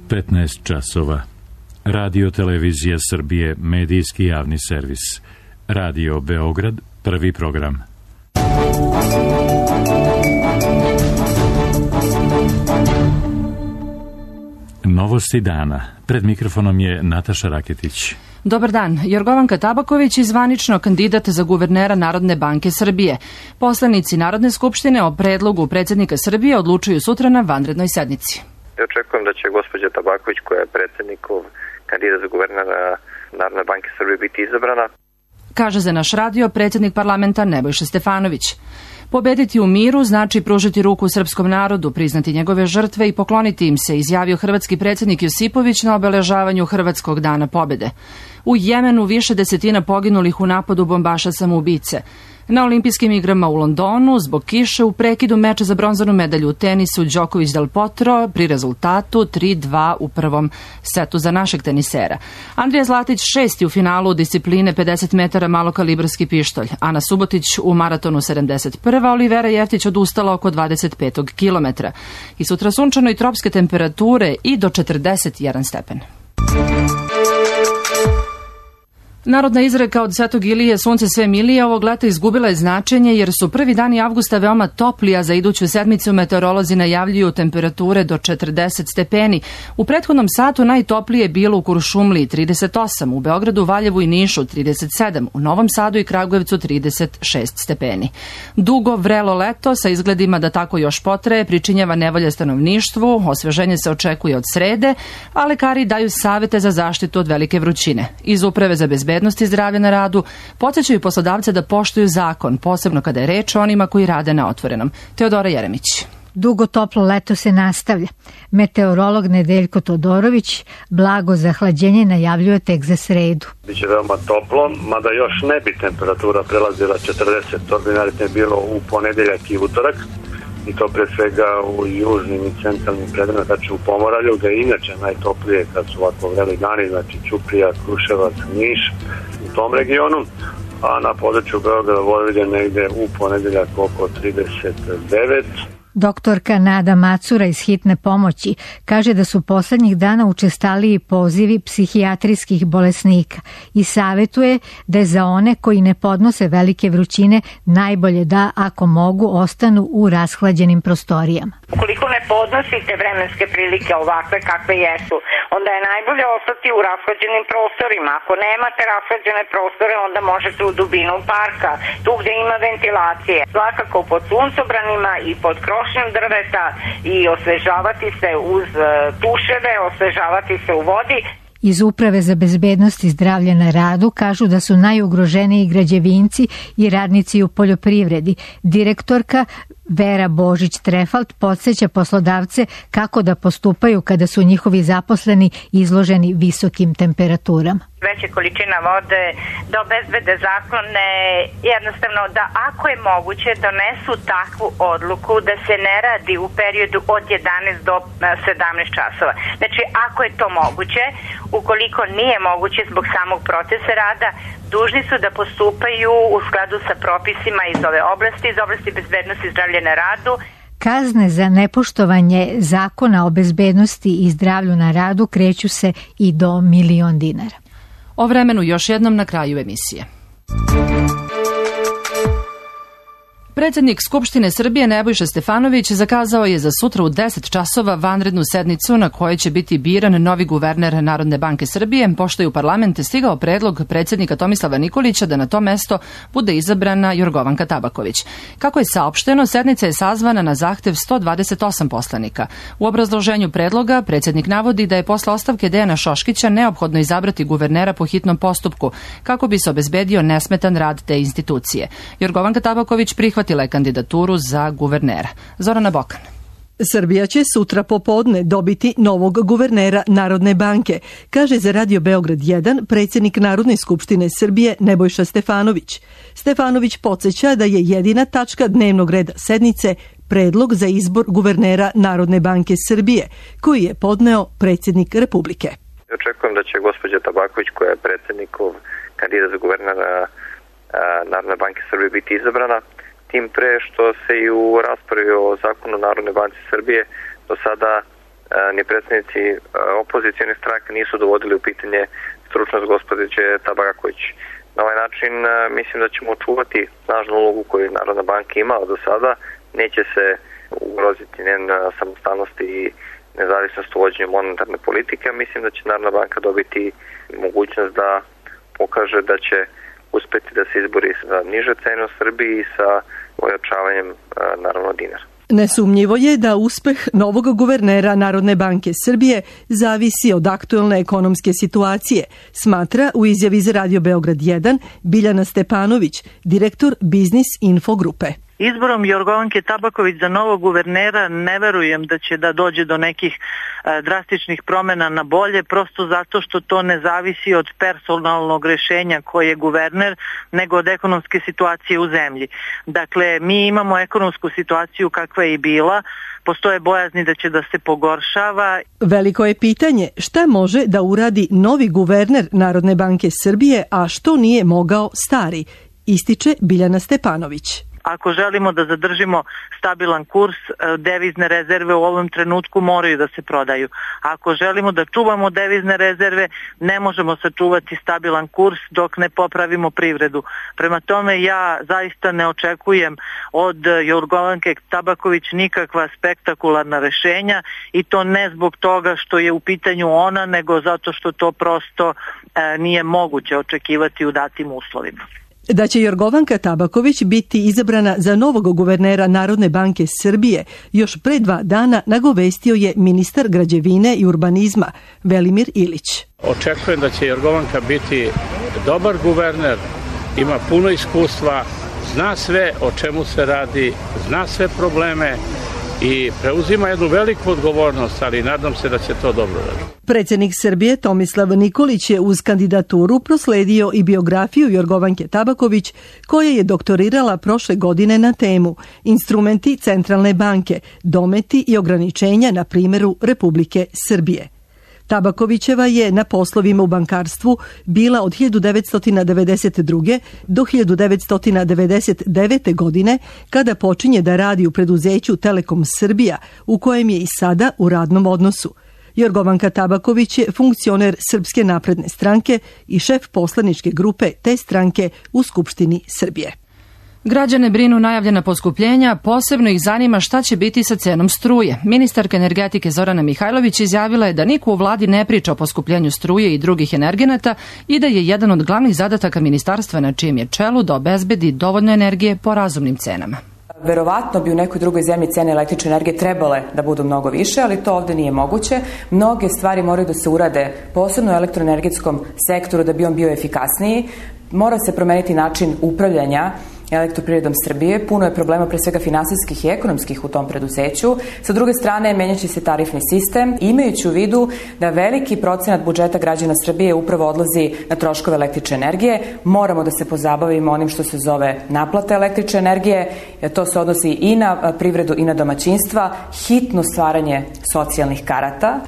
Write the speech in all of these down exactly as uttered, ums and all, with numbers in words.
petnaest časova. Radio Televizija Srbije, medijski javni servis. Radio Beograd, prvi program. Novosti dana. Pred mikrofonom je Nataša Raketić. Dobar dan. Jorgovanka Tabaković je zvanično kandidat za guvernera Narodne banke Srbije. Poslanici Narodne skupštine o predlogu predsjednika Srbije odlučuju sutra na vanrednoj sednici. Ja očekujem da će gospođa Tabaković, koja je predsjednikov kandidat za guvernera Narodne banke Srbije, biti izabrana. Kaže za naš radio predsjednik parlamenta Nebojša Stefanović. Pobediti u miru znači pružiti ruku srpskom narodu, priznati njegove žrtve i pokloniti im se, izjavio hrvatski predsjednik Josipović na obeležavanju Hrvatskog dana pobjede. U Jemenu više desetina poginulih u napadu bombaša samoubice. Na olimpijskim igrama u Londonu zbog kiše u prekidu meča za bronzanu medalju u tenisu Đoković Del Potro pri rezultatu tri dva u prvom setu za našeg tenisera. Andrija Zlatić šesti u finalu discipline pedeset metara malokalibarski pištolj. Ana Subotić u maratonu sedamdeset prva. Olivera Jeftić odustala oko dvadeset petog kilometra. I sutra sunčano i tropske temperature i do četrdeset jedan stepen. Narodna izreka od Svetog Ilije sunce sve milije ovog leta izgubila je značenje jer su prvi dani avgusta veoma topli, a za iduću sedmicu meteorolozi najavljuju temperature do četrdeset stepeni. U prethodnom satu najtoplije je bilo u Kuršumliji trideset osam, u Beogradu, Valjevu i Nišu trideset sedam, u Novom Sadu i Kragujevcu trideset šest stepeni. Dugo vrelo leto sa izgledima da tako još potraje pričinjava nevolje stanovništvu, osveženje se očekuje od srede, a lekari daju savete za zaštitu od velike vrućine. Iz Uprave za bezbednost i zdravlja na radu podsjećaju poslodavce da poštuju zakon, posebno kada je reč o onima koji rade na otvorenom. Teodora Jeremić. Dugo toplo leto se nastavlja. Meteorolog Nedeljko Todorović blago zahlađenje najavljuje tek za sredu. Biće veoma toplo, mada još ne bi temperatura prelazila četrdeset, ordinarno je bilo u ponedeljak i utorak. I to pre svega u južnim i centralnim predelima, znači u Pomoravlju, gde je inače najtoplije kad su ovako vreli dani, znači Ćuprija, Kruševac, Niš, u tom regionu, a na području Beograda, Vojvodine negde u ponedeljak oko trideset devet. Doktorka Nada Macura iz hitne pomoći kaže da su poslednjih dana učestaliji pozivi psihijatrijskih bolesnika i savetuje da je za one koji ne podnose velike vrućine najbolje da, ako mogu, ostanu u rashlađenim prostorijama. Ukoliko ne podnosite vremenske prilike ovakve kakve jesu, onda je najbolje ostati u rashlađenim prostorima. Ako nemate rashlađene prostore, onda možete u dubinu parka, tu gde ima ventilacije. Svakako pod suncobranima i pod krošnjom drveta i osvežavati se uz tuševe, osvežavati se u vodi. Iz Uprave za bezbednost i zdravlje na radu kažu da su najugroženiji građevinci i radnici u poljoprivredi. Direktorka Vera Božić-Trefalt podsjeća poslodavce kako da postupaju kada su njihovi zaposleni izloženi visokim temperaturama. Veće količina vode, da obezbede zakone, jednostavno da ako je moguće donesu takvu odluku da se ne radi u periodu od jedanaest do sedamnaest časova. Znači ako je to moguće, ukoliko nije moguće zbog samog procesa rada, dužni su da postupaju u skladu sa propisima iz ove oblasti, iz oblasti bezbednosti i zdravlja na radu. Kazne za nepoštovanje zakona o bezbednosti i zdravlju na radu kreću se i do milion dinara. O vremenu još jednom na kraju emisije. Predsjednik Skupštine Srbije Nebojša Stefanović zakazao je za sutra u deset časova vanrednu sednicu na kojoj će biti biran novi guverner Narodne banke Srbije, pošto je u parlament stigao predlog predsjednika Tomislava Nikolića da na to mesto bude izabrana Jorgovanka Tabaković. Kako je saopšteno, sednica je sazvana na zahtev sto dvadeset osam poslanika. U obrazloženju predloga predsjednik navodi da je posle ostavke Dejana Šoškića neophodno izabrati guvernera po hitnom postupku kako bi se obezbedio nesmetan rad te institucije. Jorgovanka Tabaković prihvatila je kandidaturu za guvernera. Zorana Bokan. Srbija će sutra popodne dobiti novog guvernera Narodne banke, kaže za Radio Beograd jedan predsjednik Narodne skupštine Srbije Nebojša Stefanović. Stefanović podsjeća da je jedina tačka dnevnog reda sednice predlog za izbor guvernera Narodne banke Srbije, koji je podneo predsjednik Republike. Očekujem da će gospođa Tabaković, koja je predsjednikov kandidat za guvernera Narodne banke Srbije, biti izabrana. Tim pre što se i u raspravi o zakonu Narodne banke Srbije do sada ni predstavnici opozicijne stranke nisu dovodili u pitanje stručnost gospođe Tabaković. Na ovaj način mislim da ćemo očuvati snažnu ulogu koju Narodna banka imala do sada, neće se ugroziti njen samostalnost i nezavisnost u vođenju monetarne politike, a mislim da će Narodna banka dobiti mogućnost da pokaže da će uspeti da se izbori za niže cene u Srbiji i sa ojačavanjem naravno dinara. Nesumnjivo je da uspeh novog guvernera Narodne banke Srbije zavisi od aktuelne ekonomske situacije, smatra u izjavi za Radio Beograd jedan Biljana Stepanović, direktor Biznis Info grupe. Izborom Jorgovanke Tabaković za novog guvernera ne verujem da će da dođe do nekih e, drastičnih promjena na bolje, prosto zato što to ne zavisi od personalnog rešenja koji je guverner, nego od ekonomske situacije u zemlji. Dakle, mi imamo ekonomsku situaciju kakva je i bila, postoje bojazni da će da se pogoršava. Veliko je pitanje šta može da uradi novi guverner Narodne banke Srbije, a što nije mogao stari, ističe Biljana Stepanović. Ako želimo da zadržimo stabilan kurs, devizne rezerve u ovom trenutku moraju da se prodaju. Ako želimo da čuvamo devizne rezerve, ne možemo sačuvati stabilan kurs dok ne popravimo privredu. Prema tome ja zaista ne očekujem od Jorgovanke Tabaković nikakva spektakularna rešenja i to ne zbog toga što je u pitanju ona, nego zato što to prosto e, nije moguće očekivati u datim uslovima. Da će Jorgovanka Tabaković biti izabrana za novog guvernera Narodne banke Srbije još pre dva dana nagovestio je ministar građevine i urbanizma Velimir Ilić. Očekujem da će Jorgovanka biti dobar guverner, ima puno iskustva, zna sve o čemu se radi, zna sve probleme i preuzima jednu veliku odgovornost, ali nadam se da će to dobro raditi. Predsjednik Srbije Tomislav Nikolić je uz kandidaturu prosledio i biografiju Jorgovanke Tabaković, koja je doktorirala prošle godine na temu Instrumenti centralne banke, dometi i ograničenja na primjeru Republike Srbije. Tabakovićeva je na poslovima u bankarstvu bila od hiljadu devetsto devedeset druge. do hiljadu devetsto devedeset devete. godine, kada počinje da radi u preduzeću Telekom Srbija, u kojem je i sada u radnom odnosu. Jorgovanka Tabaković je funkcioner Srpske napredne stranke i šef poslaničke grupe te stranke u Skupštini Srbije. Građane brinu najavljena poskupljenja, posebno ih zanima šta će biti sa cenom struje. Ministarka energetike Zorana Mihajlović izjavila je da niko u vladi ne priča o poskupljenju struje i drugih energenata i da je jedan od glavnih zadataka ministarstva na čijem je čelu da obezbedi dovoljno energije po razumnim cenama. Verovatno bi u nekoj drugoj zemlji cene električne energije trebale da budu mnogo više, ali to ovdje nije moguće. Mnoge stvari moraju da se urade, posebno u elektroenergetskom sektoru, da bi on bio efikasniji. Mora se promeniti način upravljanja Elektroprivredom Srbije. Puno je problema, pre svega finansijskih i ekonomskih, u tom preduzeću. Sa druge strane, menjaće se tarifni sistem, imajući u vidu da veliki procenat budžeta građana Srbije upravo odlazi na troškove električne energije. Moramo da se pozabavimo onim što se zove naplata električne energije. To se odnosi i na privredu i na domaćinstva. Hitno stvaranje socijalnih karata.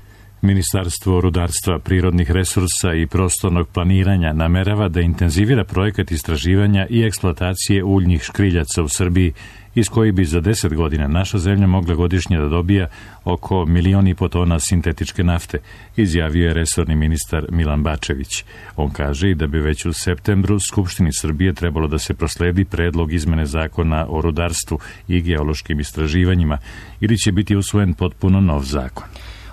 Ministarstvo rudarstva, prirodnih resursa i prostornog planiranja namerava da intenzivira projekat istraživanja i eksploatacije uljnih škriljaca u Srbiji, iz koji bi za deset godina naša zemlja mogla godišnje da dobija oko milion i po tona sintetičke nafte, izjavio je resorni ministar Milan Bačević. On kaže i da bi već u septembru Skupštini Srbije trebalo da se prosledi predlog izmene zakona o rudarstvu i geološkim istraživanjima, ili će biti usvojen potpuno nov zakon.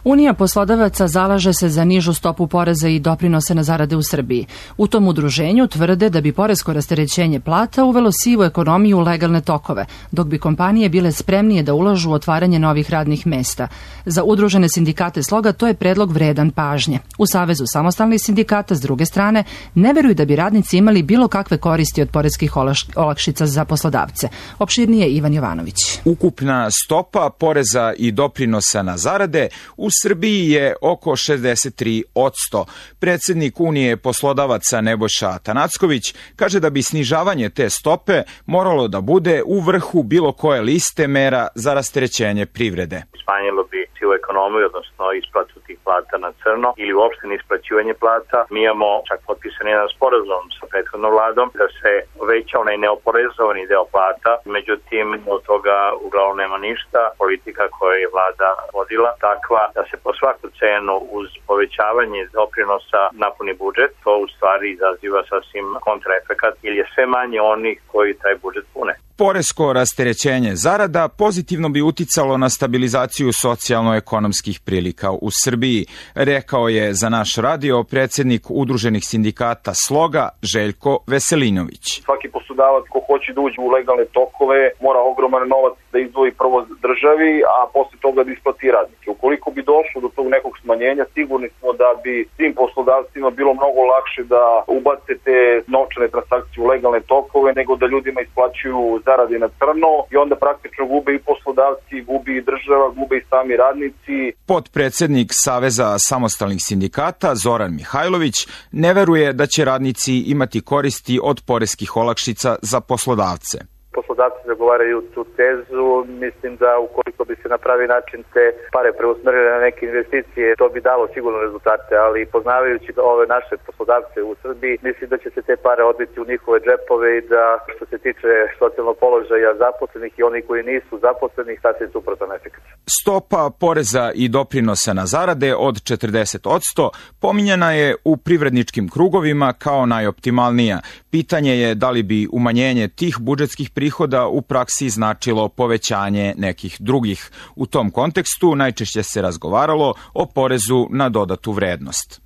Unija poslodavaca zalaže se za nižu stopu poreza i doprinose na zarade u Srbiji. U tom udruženju tvrde da bi poresko rasterećenje plata uvelo sivu ekonomiju u legalne tokove, dok bi kompanije bile spremnije da ulažu u otvaranje novih radnih mesta. Za udružene sindikate Sloga to je predlog vredan pažnje. U Savezu samostalnih sindikata, s druge strane, ne veruju da bi radnici imali bilo kakve koristi od poreskih olakšica za poslodavce. Opširnije Ivan Jovanović. Ukupna stopa poreza i doprinosa na zarade u Srbiji je oko šezdeset tri posto. Predsjednik Unije poslodavaca Nebojša Atanacković kaže da bi snižavanje te stope moralo da bude u vrhu bilo koje liste mera za rasterećenje privrede. Smanjilo bi sivu ekonomiju, odnosno isplatu tih plata na crno ili uopšte neisplaćivanje plata. Mi imamo čak potpisan jedan sporazum sa prethodnom vladom da se poveća onaj neoporezovani deo plata, međutim od toga uglavnom nema ništa. Politika koju je vlada vodila takva da se po svaku cenu uz povećavanje doprinosa napuni budžet, to u stvari izaziva sasvim kontraefekat ili je sve manje onih koji taj budžet pune. Poresko rasterećenje zarada pozitivno bi uticalo na stabilizaciju socijalno-ekonomskih prilika u Srbiji, rekao je za naš radio predsjednik Udruženih sindikata Sloga Željko Veselinović. Svaki poslodavac ko hoće da uđe u legalne tokove mora ogroman novac da izdvoji prvo državi, a posle toga da isplati radnike. Ukoliko bi došlo do tog nekog smanjenja, sigurni smo da bi tim poslodavcima bilo mnogo lakše da ubace te novčane transakcije u legalne tokove nego da ljudima isplaćuju zarade na crno i onda praktično gube i poslodavci, gubi i država, gube i sami radnici. Potpredsednik Saveza samostalnih sindikata Zoran Mihajlović ne veruje da će radnici imati koristi od poreskih olakšica za poslodavce. Poslodavci zagovaraju tu tezu, mislim da ukoliko bi se na pravi način te pare preusmerile na neke investicije, to bi dalo sigurno rezultate, ali poznavajući ove naše poslodavce u Srbiji, mislim da će se te pare odbiti u njihove džepove i da što se tiče socijalnog položaja zaposlenih i oni koji nisu zaposlenih, sasvim suprotan efekt. Stopa poreza i doprinosa na zarade od četrdeset posto pominjana je u privredničkim krugovima kao najoptimalnija. Pitanje je da li bi umanjenje tih budžetskih prihoda u praksi značilo povećanje nekih drugih. U tom kontekstu najčešće se razgovaralo o porezu na dodatu vrednost.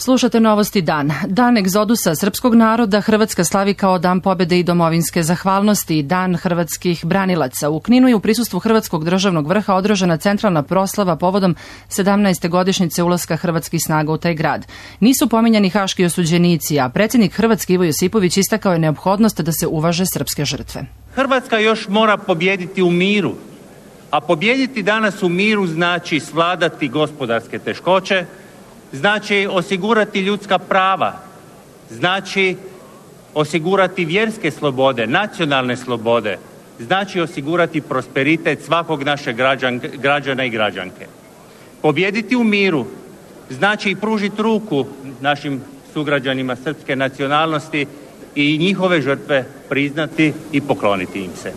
Slušate Novosti dan. Dan egzodusa srpskog naroda Hrvatska slavi kao Dan pobede i domovinske zahvalnosti i Dan hrvatskih branilaca. U Kninu je u prisustvu Hrvatskog državnog vrha održana centralna proslava povodom sedamnaeste godišnjice ulaska hrvatskih snaga u taj grad. Nisu pominjani haški osuđenici, a predsjednik Hrvatske Ivo Josipović istakao je neophodnost da se uvaže srpske žrtve. Hrvatska još mora pobjediti u miru, a pobjediti danas u miru znači svladati gospodarske teškoće, znači osigurati ljudska prava, znači osigurati vjerske slobode, nacionalne slobode, znači osigurati prosperitet svakog našeg građan, građana i građanke. Pobjediti u miru znači i pružiti ruku našim sugrađanima srpske nacionalnosti i njihove žrtve priznati i pokloniti im se.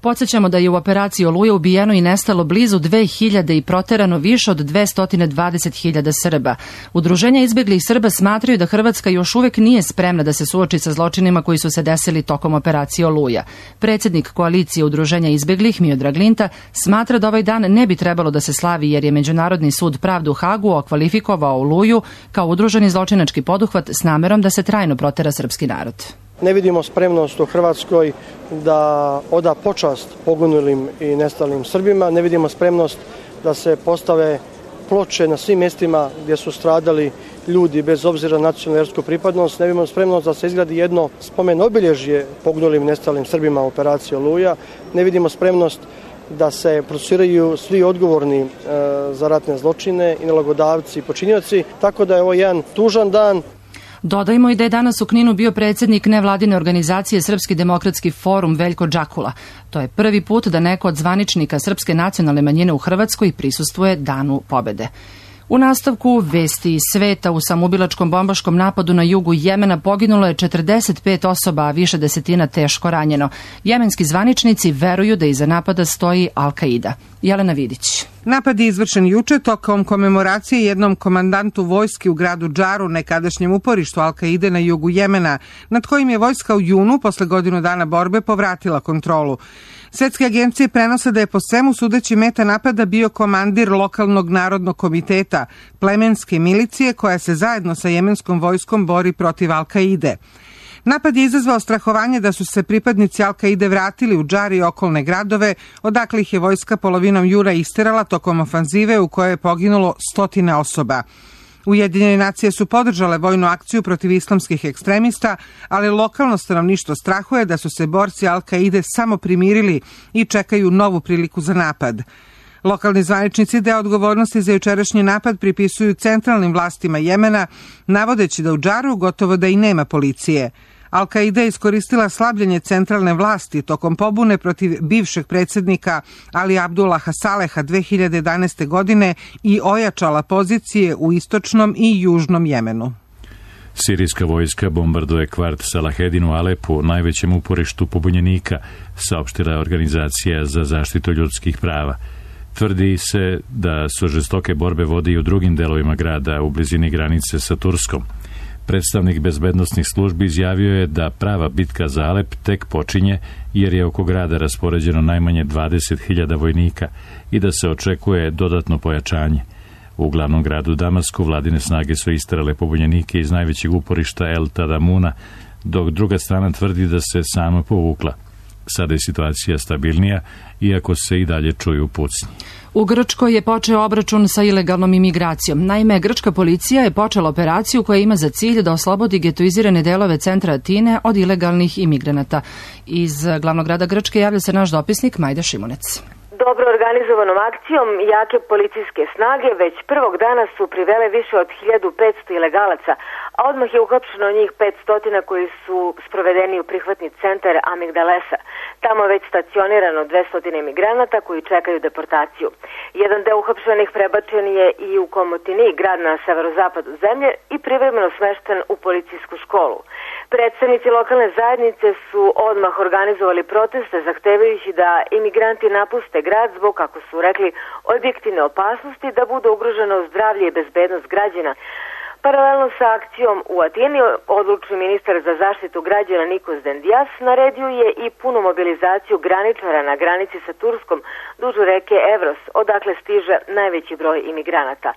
Podsjećamo da je u operaciji Oluja ubijeno i nestalo blizu dve hiljade i proterano više od dvesta dvadeset hiljada Srba. Udruženja izbjeglih Srba smatraju da Hrvatska još uvek nije spremna da se suoči sa zločinima koji su se desili tokom operacije Oluja. Predsjednik koalicije Udruženja izbjeglih Miodrag Linta smatra da ovaj dan ne bi trebalo da se slavi jer je Međunarodni sud pravde u Hagu okvalifikovao Oluju kao udruženi zločinački poduhvat s namerom da se trajno protera srpski narod. Ne vidimo spremnost u Hrvatskoj da oda počast poginulim i nestalim Srbima, ne vidimo spremnost da se postave ploče na svim mjestima gdje su stradali ljudi bez obzira na nacionalnu vjersku pripadnost, ne vidimo spremnost da se izgradi jedno spomen obilježje poginulim i nestalim Srbima u operaciji Oluja, ne vidimo spremnost da se procesuiraju svi odgovorni e, za ratne zločine i nalogodavci i počinioci, tako da je ovo jedan tužan dan. Dodajmo i da je danas u Kninu bio predsjednik nevladine organizacije Srpski demokratski forum Veljko Džakula. To je prvi put da neko od zvaničnika srpske nacionalne manjine u Hrvatskoj prisustvuje Danu pobede. U nastavku vesti iz sveta u samoubilačkom bombaškom napadu na jugu Jemena poginulo je četrdeset pet osoba, a više desetina teško ranjeno. Jemenski zvaničnici veruju da iza napada stoji Al-Kaida. Jelena Vidić. Napad je izvršen juče tokom komemoracije jednom komandantu vojske u gradu Džaru, nekadašnjem uporištu Al-Kaide na jugu Jemena, nad kojim je vojska u junu, posle godinu dana borbe, povratila kontrolu. Svetske agencije prenose da je po svemu sudeći meta napada bio komandir lokalnog narodnog komiteta, plemenske milicije koja se zajedno sa jemenskom vojskom bori protiv Al-Kaide. Napad je izazvao strahovanje da su se pripadnici Al-Kaide vratili u Džar i okolne gradove, odakle ih je vojska polovinom jura isterala tokom ofanzive u kojoj je poginulo stotine osoba. Ujedinjene nacije su podržale vojnu akciju protiv islamskih ekstremista, ali lokalno stanovništvo strahuje da su se borci Al-Kaide samo primirili i čekaju novu priliku za napad. Lokalni zvaničnici deo odgovornosti za jučerašnji napad pripisuju centralnim vlastima Jemena, navodeći da u Džaru gotovo da i nema policije. Al-Kaida je iskoristila slabljenje centralne vlasti tokom pobune protiv bivšeg predsjednika Ali Abdullaha Saleha dve hiljade jedanaeste. godine i ojačala pozicije u istočnom i južnom Jemenu. Sirijska vojska bombarduje kvart Salahedin u Alepu, najvećem uporištu pobunjenika, saopštila je Organizacija za zaštitu ljudskih prava. Tvrdi se da su žestoke borbe vode i u drugim delovima grada u blizini granice sa Turskom. Predstavnik bezbednosnih službi izjavio je da prava bitka za Alep tek počinje jer je oko grada raspoređeno najmanje dvadeset hiljada vojnika i da se očekuje dodatno pojačanje. U glavnom gradu Damasku vladine snage su isterale pobunjenike iz najvećeg uporišta El Tadamuna, dok druga strana tvrdi da se sama povukla. Sada je situacija stabilnija, iako se i dalje čuju pucnji. U Grčkoj je počeo obračun sa ilegalnom imigracijom. Naime, grčka policija je počela operaciju koja ima za cilj da oslobodi getoizirane delove centra Atine od ilegalnih imigranata. Iz glavnog grada Grčke javlja se naš dopisnik Majda Šimunec. Dobro organizovanom akcijom jake policijske snage već prvog dana su privele više od hiljadu petsto ilegalaca, a odmah je uhapšeno njih petsto koji su sprovedeni u prihvatni centar Amigdalesa. Tamo je već stacionirano dvesta imigranata koji čekaju deportaciju. Jedan deo uhapšenih prebačen je i u Komotini, grad na severozapadu zemlje, i privremeno smešten u policijsku školu. Predstavnici lokalne zajednice su odmah organizovali proteste zahtevajući da imigranti napuste grad zbog, kako su rekli, objektivne opasnosti da bude ugroženo zdravlje i bezbednost građana. Paralelno sa akcijom u Atini, odlučni ministar za zaštitu građana Nikos Dendias naredio je i punu mobilizaciju graničara na granici sa Turskom duž reke Evros, odakle stiže najveći broj imigranata.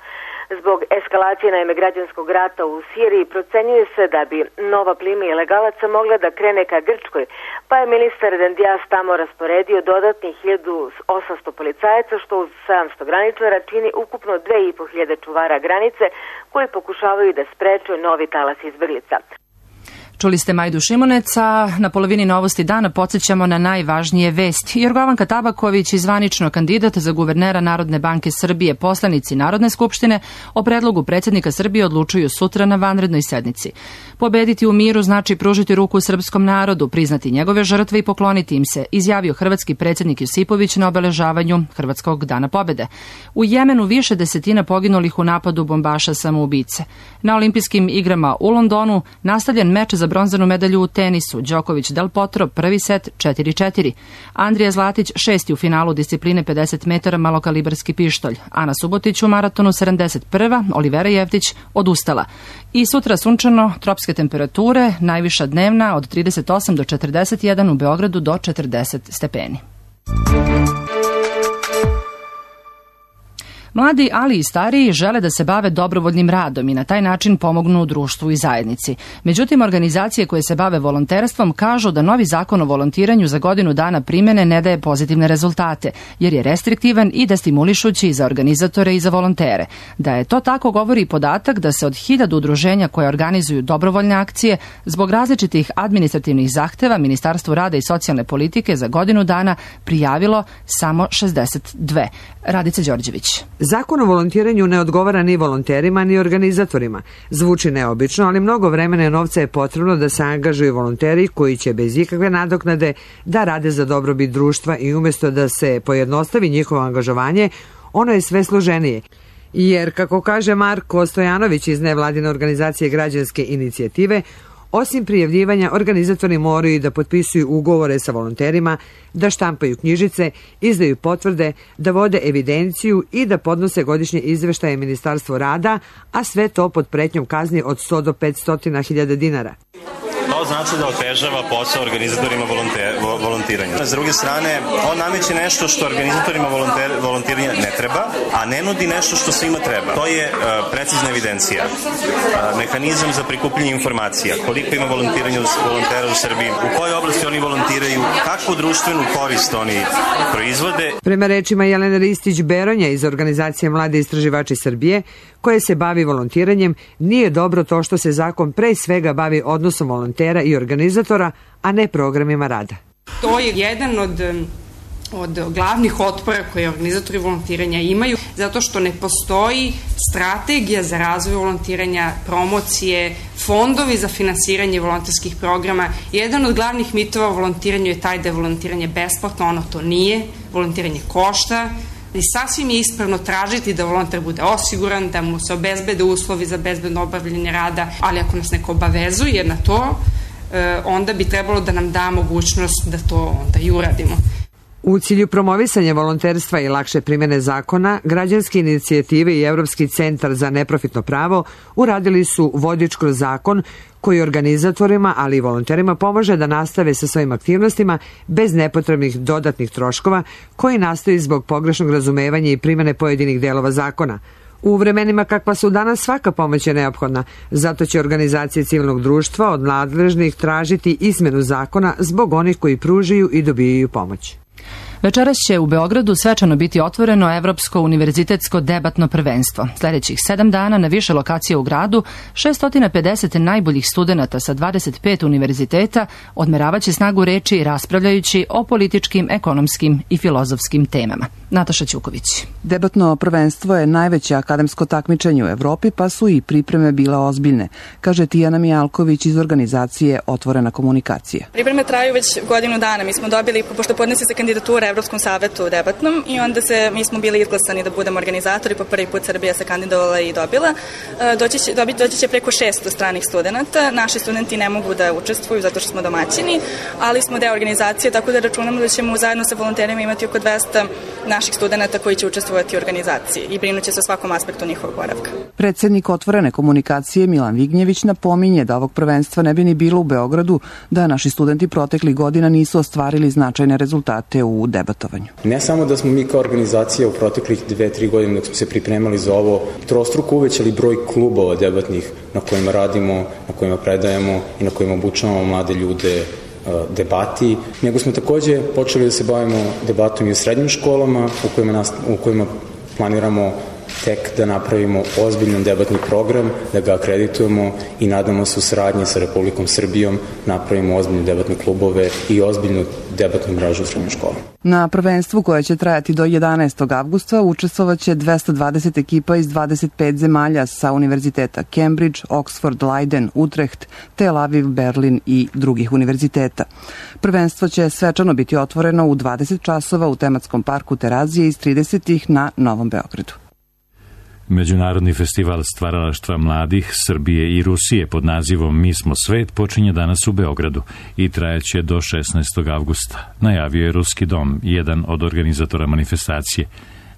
Zbog eskalacije naime građanskog rata u Siriji procenjuje se da bi nova plima ilegalaca mogla da krene ka Grčkoj, pa je ministar Dendias tamo rasporedio dodatnih hiljadu osamsto policajaca, što uz sedamsto graničara čini ukupno dve i po hiljade čuvara granice koji pokušavaju da spreče novi talas izbeglica. Čuli ste Majdu Šimuneca, na polovini Novosti dana podsjećamo na najvažnije vesti. Jorgovanka Tabaković, zvanično kandidat za guvernera Narodne banke Srbije, poslanici Narodne skupštine, o predlogu predsjednika Srbije odlučuju sutra na vanrednoj sednici. Pobediti u miru znači pružiti ruku srpskom narodu, priznati njegove žrtve i pokloniti im se, izjavio hrvatski predsjednik Josipović na obeležavanju Hrvatskog dana pobede. U Jemenu više desetina poginulih u napadu bombaša samoubice. Na olimpijskim igrama u Londonu nastavljen meč za bronzanu medalju u tenisu. Đoković Del Potro, prvi set četiri četiri. Andrija Zlatić šesti u finalu discipline pedeset metara malokalibarski pištolj. Ana Subotić u maratonu sedamdeset prva. Olivera Jevtić odustala. I sutra sunčano, tropske temperature, najviša dnevna od trideset osam do četrdeset jedan, u Beogradu do četrdeset stepeni. Mladi, ali i stariji, žele da se bave dobrovoljnim radom i na taj način pomognu društvu i zajednici. Međutim, organizacije koje se bave volonterstvom kažu da novi zakon o volontiranju za godinu dana primene ne daje pozitivne rezultate, jer je restriktivan i destimulišući za organizatore i za volontere. Da je to tako govori podatak da se od hiljadu udruženja koje organizuju dobrovoljne akcije zbog različitih administrativnih zahteva Ministarstvu rada i socijalne politike za godinu dana prijavilo samo šezdeset dve. Radica Đorđević. Zakon o volontiranju ne odgovara ni volonterima ni organizatorima. Zvuči neobično, ali mnogo vremena i novca je potrebno da se angažuju volonteri koji će bez ikakve nadoknade da rade za dobrobit društva i umjesto da se pojednostavi njihovo angažovanje, ono je sve složenije. Jer, kako kaže Marko Stojanović iz nevladine organizacije Građanske inicijative, osim prijavljivanja, organizatori moraju da potpisuju ugovore sa volonterima, da štampaju knjižice, izdaju potvrde, da vode evidenciju i da podnose godišnje izveštaje Ministarstvu rada, a sve to pod pretnjom kazni od sto do petsto hiljada dinara. To znači da otežava posao organizatorima volontiranja. S druge strane, on nameće nešto što organizatorima volontiranja ne treba, a ne nudi nešto što svima treba. To je uh, precizna evidencija, uh, mehanizam za prikupljanje informacija, koliko ima volontiranja volontera u Srbiji, u kojoj oblasti oni volontiraju, kakvu društvenu korist oni proizvode. Prema rečima Jelene Ristić-Beronja iz organizacije Mladi istraživači Srbije, koje se bavi volontiranjem, nije dobro to što se zakon pre svega bavi odnosom volontera i organizatora, a ne programima rada. To je jedan od, od glavnih otpora koje organizatori volontiranja imaju, zato što ne postoji strategija za razvoj volontiranja, promocije, fondovi za finansiranje volonterskih programa. Jedan od glavnih mitova o volontiranju je taj da je volontiranje besplatno, ono to nije, volontiranje košta, i sasvim je ispravno tražiti da volonter bude osiguran, da mu se obezbede uslovi za bezbedno obavljanje rada, ali ako nas neko obavezuje na to, onda bi trebalo da nam da mogućnost da to onda i uradimo. U cilju promovisanja volonterstva i lakše primjene zakona, građanske inicijative i Evropski centar za neprofitno pravo uradili su vodič kroz zakon koji organizatorima, ali i volonterima pomaže da nastave sa svojim aktivnostima bez nepotrebnih dodatnih troškova koji nastaju zbog pogrešnog razumevanja i primjene pojedinih delova zakona. U vremenima kakva su danas svaka pomoć je neophodna, zato će organizacije civilnog društva od nadležnih tražiti izmenu zakona zbog onih koji pružaju i dobijaju pomoć. Večeras će u Beogradu svečano biti otvoreno Evropsko univerzitetsko debatno prvenstvo. Sljedećih sedam dana na više lokacije u gradu šesto pedeset najboljih studenata sa dvadeset pet univerziteta odmeravaće snagu reči raspravljajući o političkim, ekonomskim i filozofskim temama. Nataša Ćuković. Debatno prvenstvo je najveće akademsko takmičenje u Evropi, pa su i pripreme bile ozbiljne, kaže Tijana Mijalković iz organizacije Otvorena komunikacija. Pripreme traju već godinu dana. Mi smo dobili, pošto podnese se kandidatura Evropskom savetu debatnom i onda se, mi smo bili izglasani da budemo organizatori, po prvi put Srbija se kandidovala i dobila. Doći će, dobi, doći će preko šesto stranih studenta. Naši studenti ne mogu da učestvuju zato što smo domaćini, ali smo deo organizacije, tako da računamo da ćemo zajedno sa volonterima imati oko dvesta naših studenta koji će učestvovati u organizaciji i brinuće se o svakom aspektu njihovog boravka. Predsednik Otvorene komunikacije Milan Vignjević napominje da ovog prvenstva ne bi ni bilo u Beogradu da naši studenti proteklih godina nisu ostvarili značajne rezultate u debatovanju. Ne samo da smo mi kao organizacija u proteklih dve, tri godine dok smo se pripremali za ovo trostruko uvećali broj klubova debatnih na kojima radimo, na kojima predajemo i na kojima obučavamo mlade ljude debati, nego smo takođe počeli da se bavimo debatom i u srednjim školama u kojima, nas, u kojima planiramo tek da napravimo ozbiljan debatni program, da ga akreditujemo i nadamo se u saradnji sa Republikom Srbijom napravimo ozbiljne debatne klubove i ozbiljnu debatnu mrežu u srednjim školama. Na prvenstvu koje će trajati do jedanaestog avgusta učestvovaće dvesta dvadeset ekipa iz dvadeset pet zemalja sa univerziteta Cambridge, Oxford, Leiden, Utrecht, Tel Aviv, Berlin i drugih univerziteta. Prvenstvo će svečano biti otvoreno u dvadeset časova u tematskom parku Terazije iz tridesetih na Novom Beogradu. Međunarodni festival stvaralaštva mladih Srbije i Rusije pod nazivom Mi smo svet počinje danas u Beogradu i trajaće do šesnaestog avgusta. Najavio je Ruski dom, jedan od organizatora manifestacije.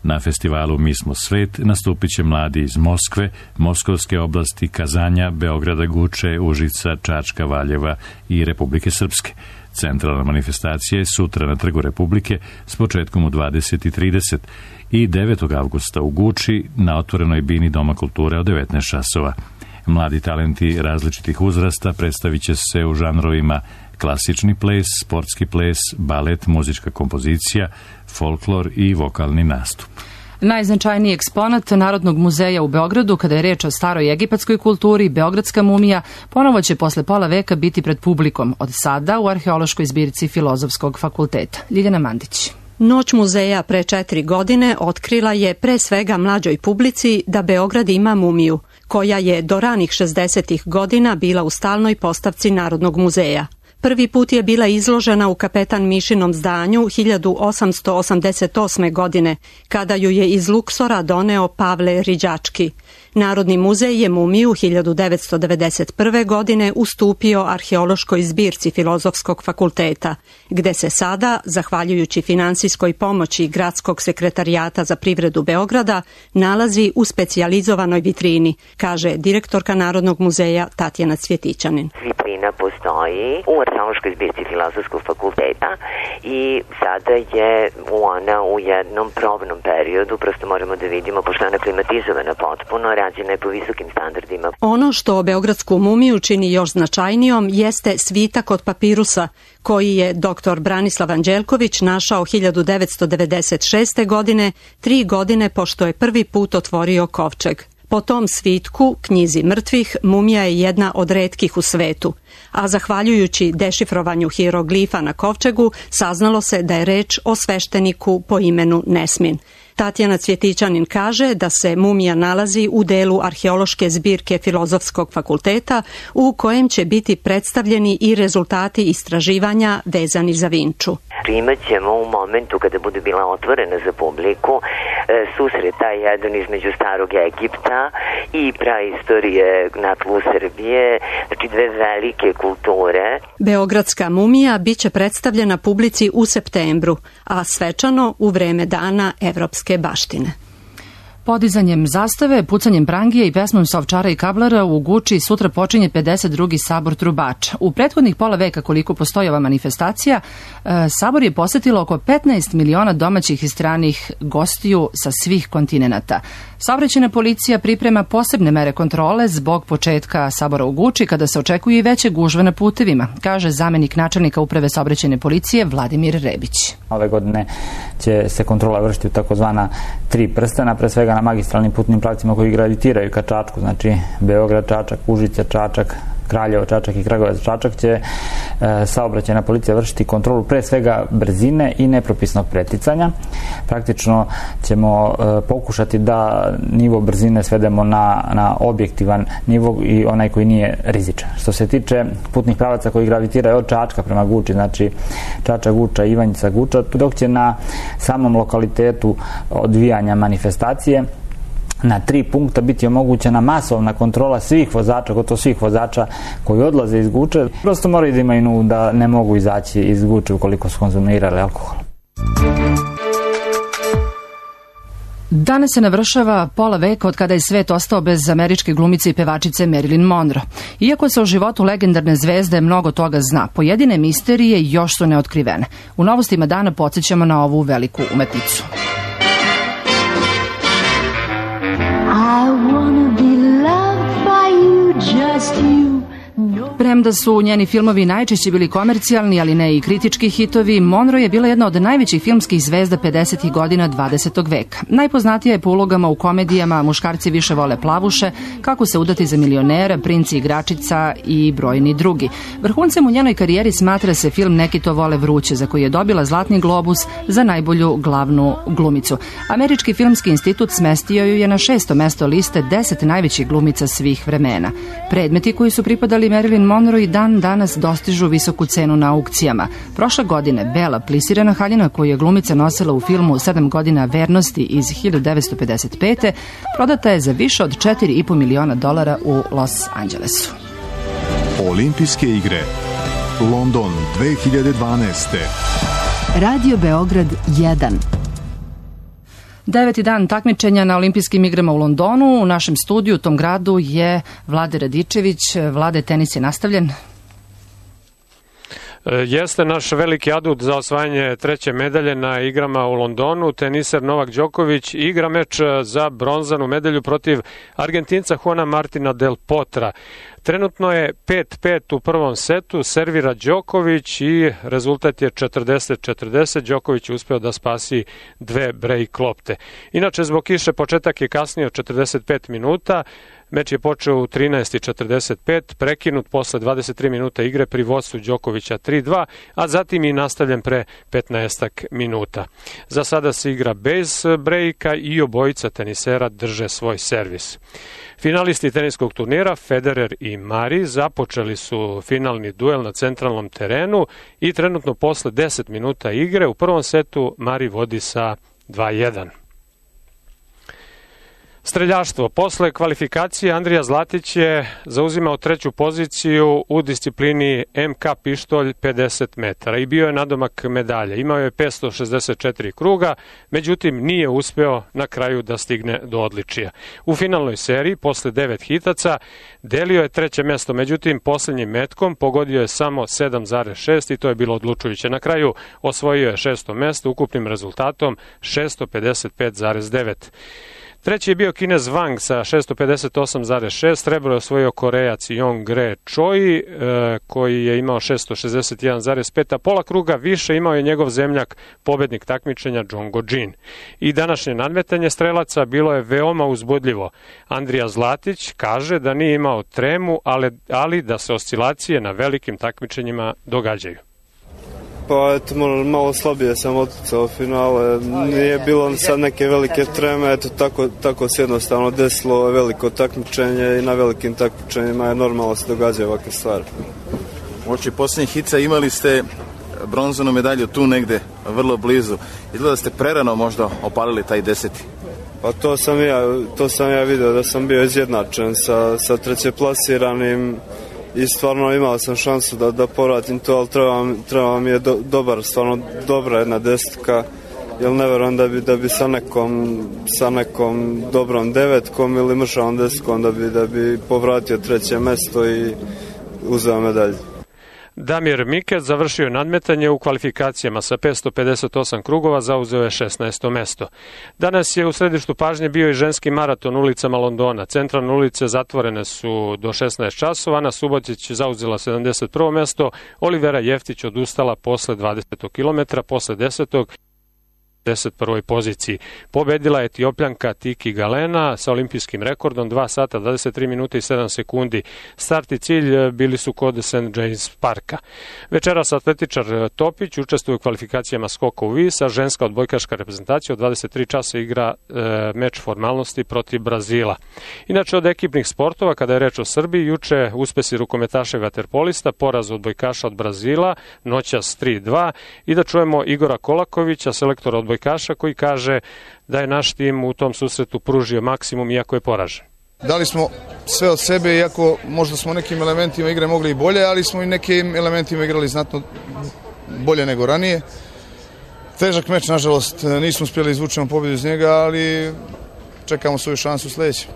Na festivalu Mi smo svet nastupit će mladi iz Moskve, Moskovske oblasti, Kazanja, Beograda, Guče, Užica, Čačka, Valjeva i Republike Srpske. Centralna manifestacija je sutra na Trgu Republike s početkom u dvadeset i trideset i devetog avgusta u Guči na otvorenoj bini Doma kulture od devetnaest časova. Mladi talenti različitih uzrasta predstavit će se u žanrovima klasični ples, sportski ples, balet, muzička kompozicija, folklor i vokalni nastup. Najznačajniji eksponat Narodnog muzeja u Beogradu, kada je reč o staroj egipatskoj kulturi, Beogradska mumija, ponovo će posle pola veka biti pred publikom, od sada u arheološkoj zbirci Filozofskog fakulteta. Ljiljana Mandić. Noć muzeja pre četiri godine otkrila je pre svega mlađoj publici da Beograd ima mumiju, koja je do ranih šezdesetih godina bila u stalnoj postavci Narodnog muzeja. Prvi put je bila izložena u Kapetan Mišinom zdanju hiljadu osamsto osamdeset osme. godine, kada ju je iz Luksora doneo Pavle Riđački. Narodni muzej je mumiju hiljadu devetsto devedeset prve. godine ustupio arheološkoj zbirci Filozofskog fakulteta, gde se sada, zahvaljujući finansijskoj pomoći Gradskog sekretarijata za privredu Beograda, nalazi u specijalizovanoj vitrini, kaže direktorka Narodnog muzeja Tatjana Cvjetićanin. Vitrina postoji u arheološkoj zbirci Filozofskog fakulteta i sada je ona u jednom probnom periodu, prosto moramo da vidimo, pošto ona klimatizovana potpuno, rađena je po visokim standardima. Ono što beogradsku mumiju čini još značajnijom jeste svitak od papirusa, koji je doktor Branislav Anđelković našao hiljadu devetsto devedeset šeste. godine, tri godine pošto je prvi put otvorio kovčeg. Po tom svitku, knjizi mrtvih, mumija je jedna od retkih u svetu, a zahvaljujući dešifrovanju hieroglifa na kovčegu, saznalo se da je reč o svešteniku po imenu Nesmin. Tatjana Cvjetićanin kaže da se mumija nalazi u delu arheološke zbirke Filozofskog fakulteta u kojem će biti predstavljeni i rezultati istraživanja vezani za Vinču. Imat ćemo u momentu kada bude bila otvorena za publiku susret taj jedan između starog Egipta i praistorije na tlu Srbije, znači dve velike kulture. Beogradska mumija biće predstavljena publici u septembru, a svečano u vreme dana evropske baštine. Podizanjem zastave, pucanjem prangije i pesmom Sovčara i Kablara u Guči sutra počinje pedeset drugi sabor trubača. U prethodnih pola veka koliko postoji ova manifestacija, sabor je posetilo oko petnaest miliona domaćih i stranih gostiju sa svih kontinenata. Saobraćajna policija priprema posebne mere kontrole zbog početka sabora u Guči, kada se očekuje i veće gužve na putevima, kaže zamenik načelnika uprave saobraćajne policije Vladimir Rebić. Ove godine će se kontrola vršiti u takozvana tri prstena, pre svega na magistralnim putnim pravcima koji gravitiraju ka Čačku, znači Beograd, Čačak, Užice, Čačak, Kraljevo, Čačak i Kragujevac, Čačak, će e, saobraćajna policija vršiti kontrolu pre svega brzine i nepropisnog preticanja. Praktično ćemo e, pokušati da nivo brzine svedemo na, na objektivan nivo i onaj koji nije rizičan. Što se tiče putnih pravaca koji gravitiraju od Čačka prema Guči, znači Čačak, Guča, Ivanjica, Guča, dok će na samom lokalitetu odvijanja manifestacije na tri punkta biti omogućena masovna kontrola svih vozača, gotovo svih vozača koji odlaze iz Guče. Prosto moraju da imaju nu da ne mogu izaći iz Guče ukoliko su konzumirali alkohol. Danas se navršava pola veka od kada je svet ostao bez američke glumice i pevačice Marilyn Monroe. Iako se o životu legendarne zvezde mnogo toga zna, pojedine misterije još su neotkrivene. U novostima dana podsjećamo na ovu veliku umetnicu. Premda su njeni filmovi najčešće bili komercijalni, ali ne i kritički hitovi, Monroe je bila jedna od najvećih filmskih zvezda pedesetih godina dvadesetog veka. Najpoznatija je po ulogama u komedijama Muškarci više vole plavuše, Kako se udati za milionera, Princ i igračica i brojni drugi. Vrhuncem u njenoj karijeri smatra se film Neki to vole vruće, za koji je dobila Zlatni globus za najbolju glavnu glumicu. Američki filmski institut smestio ju je na šesto mesto liste deset najvećih glumica svih vremena. Predmeti koji su pripadali Marilyn Monroe i dan danas dostižu visoku cenu na aukcijama. Prošle godine bela plisirana haljina koju je glumica nosila u filmu Sedam godina vernosti iz hiljadu devetsto pedeset pete prodata je za više od četiri i po miliona dolara u Los Angelesu. Olimpijske igre London dve hiljade dvanaeste. Radio Beograd jedan. Deveti dan takmičenja na olimpijskim igrama u Londonu. U našem studiju u tom gradu je Vlade Radičević. Vlade, tenis je nastavljen. Jeste naš veliki adut za osvajanje treće medalje na igrama u Londonu. Teniser Novak Đoković igra meč za bronzanu medalju protiv Argentinca Juana Martina del Potra. Trenutno je pet pet u prvom setu, servira Đoković i rezultat je četrdeset četrdeset. Đoković je uspeo da spasi dve break lopte. Inače, zbog kiše početak je kasnije od četrdeset pet minuta. Meč je počeo u trinaest četrdeset pet, prekinut posle dvadeset tri minuta igre pri vodstvu Đokovića tri dva, a zatim i nastavljen pre petnaest minuta. Za sada se igra bez brejka i obojica tenisera drže svoj servis. Finalisti teniskog turnira Federer i Mari započeli su finalni duel na centralnom terenu i trenutno posle deset minuta igre u prvom setu Mari vodi sa dva jedan. Streljaštvo. Posle kvalifikacije Andrija Zlatić je zauzimao treću poziciju u disciplini M K pištolj pedeset metara i bio je nadomak medalje. Imao je petsto šezdeset četiri kruga, međutim nije uspeo na kraju da stigne do odličija. U finalnoj seriji, posle devet hitaca, delio je treće mesto, međutim poslednjim metkom pogodio je samo sedam zarez šest i to je bilo odlučujuće. Na kraju osvojio je šesto mesto ukupnim rezultatom šesto pedeset pet zarez devet. Treći je bio Kinez Wang sa šesto pedeset osam zarez šest, srebro je osvojio Korejac Yong-Gre Choi e, koji je imao šesto šezdeset jedan zarez pet, a pola kruga više imao je njegov zemljak, pobednik takmičenja Jongo Jin. I današnje nadmetanje strelaca bilo je veoma uzbudljivo. Andrija Zlatić kaže da nije imao tremu, ali, ali da se oscilacije na velikim takmičenjima događaju. Pa eto, malo slabije sam oticao finale, nije bilo sad neke velike treme, eto tako, tako se jednostavno desilo veliko takmičenje i na velikim takmičenjima je normalno se događaju ovakve stvari. Uoči posljednjih hica imali ste bronzanu medalju tu negde, vrlo blizu. Izgleda da ste prerano možda opalili taj deseti. Pa to sam ja, to sam ja vidio da sam bio izjednačen sa, sa trećeplasiranim i stvarno imao sam šansu da, da povratim to, ali treba, treba mi je do, dobar, stvarno dobra jedna desetka, jer ne verujem da bi, da bi sa nekom, sa nekom dobrom devetkom ili mršavom desetkom da bi, da bi povratio treće mesto i uzeo medalju. Damir Mikec završio nadmetanje u kvalifikacijama sa petsto pedeset osam krugova, zauzeo je šesnaesto mesto. Danas je u središtu pažnje bio i ženski maraton ulicama Londona. Centralne ulice zatvorene su do šesnaest časova, Ana Subotić zauzela sedamdeset prvo mesto, Olivera Jeftić odustala posle dvadesetog kilometra, posle desetog deset prvoj poziciji. Pobedila je Etiopljanka Tiki Galena sa olimpijskim rekordom dva sata, dvadeset tri minuta i sedam sekundi. Start i cilj bili su kod Saint James Parka. Večeras atletičar Topić učestvuje u kvalifikacijama skoka u vis, a ženska odbojkaška reprezentacija od dvadeset tri časa igra e, meč formalnosti protiv Brazila. Inače, od ekipnih sportova, kada je reč o Srbiji, juče uspesi rukometaša i vaterpolista, poraz odbojkaša od Brazila, noćas tri dva, i da čujemo Igora Kolakovića, selektora odbojkaša, koji kaže da je naš tim u tom susretu pružio maksimum iako je poražen. Dali smo sve od sebe, iako možda smo nekim elementima igre mogli i bolje, ali smo i nekim elementima igrali znatno bolje nego ranije. Težak meč, nažalost, nismo uspjeli izvučemo pobjedu iz njega, ali čekamo svoju šansu u sljedećem.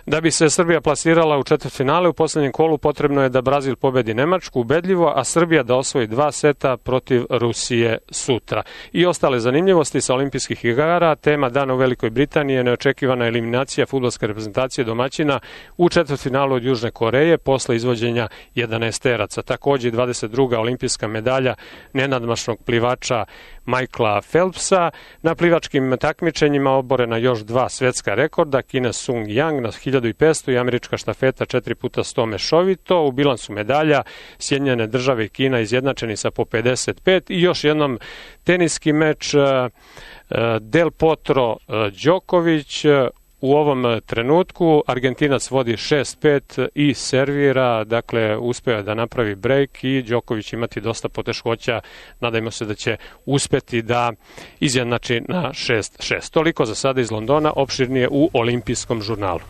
Da bi se Srbija plasirala u četvrtfinale, u posljednjem kolu potrebno je da Brazil pobedi Nemačku ubedljivo, a Srbija da osvoji dva seta protiv Rusije sutra. I ostale zanimljivosti sa olimpijskih igara, tema dana u Velikoj Britaniji je neočekivana eliminacija fudbalske reprezentacije domaćina u četvrtfinalu od Južne Koreje posle izvođenja jedanaesteraca. Takođe i dvadeset druga olimpijska medalja nenadmašnog plivača Michaela Phelpsa. Na plivačkim takmičenjima oborena još dva svetska rekorda, Kina Sung Yang na hiljadu i petsto i američka štafeta četiri puta sto mešovito. U bilansu medalja Sjedinjene države i Kina izjednačeni sa po pedeset pet i još jednom teniski meč Del Potro Đoković. U ovom trenutku Argentinac vodi šest pet i servira, dakle uspeo da napravi brejk i Đoković imati dosta poteškoća. Nadajmo se da će uspeti da izjednači na šest šest. Toliko za sada iz Londona, opširnije u olimpijskom žurnalu.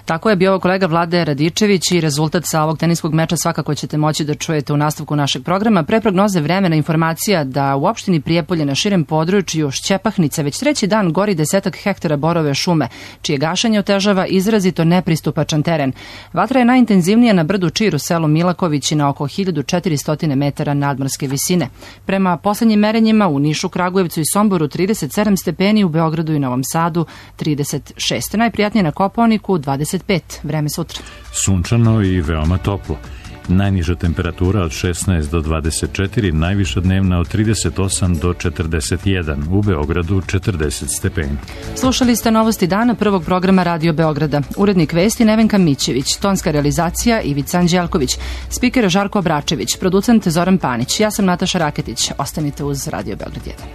Tako je bio kolega Vlade Radičević i rezultat sa ovog teniskog meča svakako ćete moći da čujete u nastavku našeg programa. Pre prognoze vremena informacija da u opštini Prijepolje na širem području Šćepahnice već treći dan gori desetak hektara borove šume, čije gašenje otežava izrazito nepristupačan teren. Vatra je najintenzivnija na brdu Čir u selu Milaković i na oko hiljadu četiristo metara nadmorske visine. Prema poslednjim merenjima u Nišu, Kragujevcu i Somboru trideset sedam stepeni, u Beogradu i Novom Sadu trideset šest. Najprijatnije na Kopaoniku dvadeset pet. Vreme sutra. Sunčano i veoma toplo. Najniža temperatura od šesnaest do dvadeset četiri, najviša dnevna od trideset osam do četrdeset jedan, u Beogradu četrdeset stepeni. Slušali ste novosti dana prvog programa Radio Beograda. Urednik vesti Nevenka Mićević, tonska realizacija Ivica Anđelković, spiker Žarko Bračević, producent Zoran Panić. Ja sam Nataša Raketić. Ostanite uz Radio Beograd jedan.